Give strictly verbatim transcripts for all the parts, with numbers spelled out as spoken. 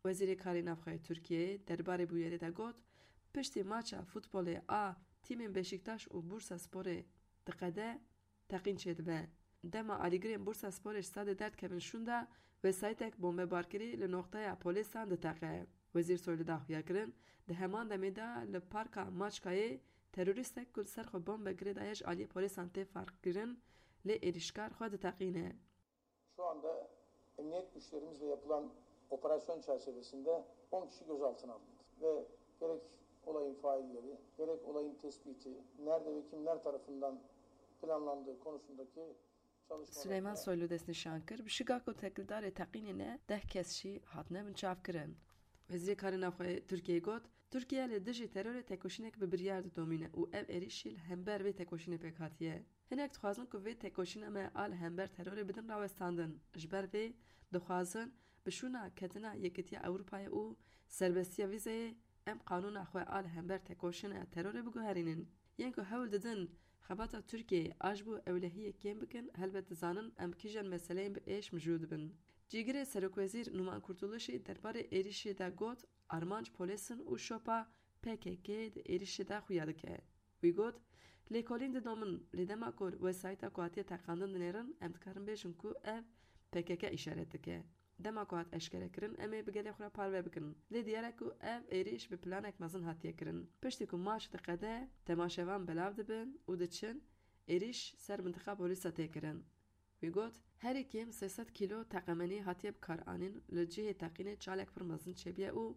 Wezîrê Karê Navxwe yê Tirkiyeyê derbarê bûyerê de got, piştî maça futbolê a tîmên Beşiktaş û Bursasporê diqede, teqîn çêdibe. Dema alîgirên Bursasporê ji stadê derdikevin şûnda, wesayîtek bombebarkirî li noqteya polêsan diteqe. Wezîr Soylu da xuyakirin, di heman demê de li Parka Maçkayê terorîstek ku li ser xwe bombe girêdaye ji aliyê polêsan tê farqkirin, lê êrîşkar xwe diteqîne. Şu anda emniyet güçlerimizle yapılan operasyon çerçevesinde on kişi gözaltına alındı ve gerek olayın failleri, gerek olayın tespiti, nerede ve kimler tarafından planlandığı konusundaki çalışmalar Suleyman Soylu destnîşan kir, bi şiga ku têkildarê teqînê ne deh kes jî hatine binçavkirin. Wezîrê Karê Navxwe Tirkiyeyê got, Tirkiye li dijî terorê tekoşînek bi biryar didomîne û ev êrîş jî li hember vê tekoşînê pêk hatiye. Hinek dixwazin ku vê tekoşîna me a li hember terorê bidin rawestandin. Ji ber vê dixwazin bi şûna ketina Yekîtiya Ewropayê û serbestiya vîzeyê em qanûna xwe a li hember tekoşîna terorê biguherînin. Yên ku hewl didin xebata Tirkiyeyê a ji bo ewlehiyê kêm bikin, helbet dizanin em kîjan meseleyên bi êş mijûl dibin. Cîgirê Serokwezîr Numan Kurtuluşî derbarê êrîşê de got, armanc polês in û şopa P K K di êrîşê de xuya dike. Wî got, lêkolîn didomin, lê dema ku wesayîta ku hatiye teqandin dinêrin, em dikarin bêjin ku ev P K K îşaret dike. Dema ku hat eşkerekirin, em ê bi gelê xwe re parve bikin. Lê diyar e ku ev êrîş bi planek mezin hatiye kirin. Piştî ku maç diqede, temaşevan belav dibin û diçin, êrîş ser mintiqa polîsa tê kirin. Wî got, herî kêm sê sed kîlo teqemenî hatiye bikaranîn, li cihê teqînê çalek pir mezin çêbûye û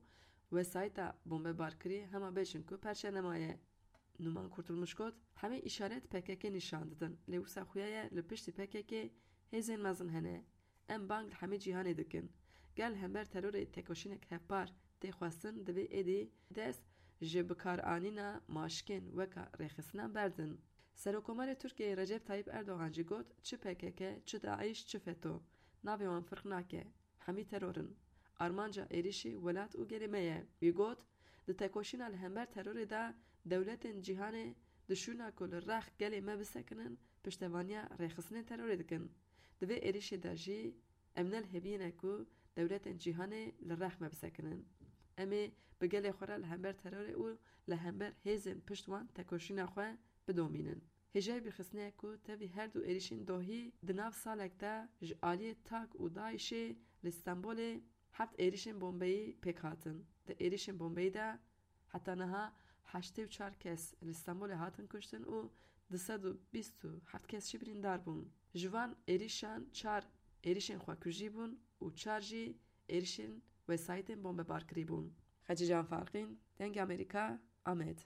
wesayîta bombebarkirî hema bêjin ku perçe nemaye. Numan Kurtulmuş got, hemî îşaret P K K nîşan didin, lê wisa xuya ye li piştî P K K hêzên mezin hene. Em bang li hemî cîhanê dikin. Ger li hember terorê tekoşînek hevpar tê xwestin, divê êdî dest ji bikaranîna maşkên weka rêxistinan berdin. Serokkomarê Tirkiyeyê Recep Tayyip Erdogan jî got, çi P K K, çi DAIŞ, çi FETÖ, navê wan firq nake. Hemî teror in. Armanca êrîşê welat û gelê me ye. Wî got, di tekoşîna li hember terorê de dewletên cîhanê di şûna ku li rex gelê me bisekinin, piştevaniya rêxistinên terorê dikin. Di vê êrîşê de jî em ne li hêviyê ne ku dewletên cîhanê li rex me bisekinin. Em ê bi gelê xwe re li hember terorê û li hember hêzên pişt wan tekoşîna xwe bidomînin. Hêjayî bîrxistinê ye ku tevî her du êrîşên dohî di nav salek de ji aliyê tak û DAIŞê li Stenbolê heft êrîşên bombeyî pêk hatin. Di êrîşên bombeyî de heta niha heştê û çar kes li Stenbolê hatin kuştin û du sed û bîst û heft kes jî birîndar bûn. Ji van êrîşan çar êrîşên xwekujî bûn û çar jî êrîşên wesayîtên bombebarkirî bûn. Xecîcan Farqîn, Dengê Amerîka, Amed.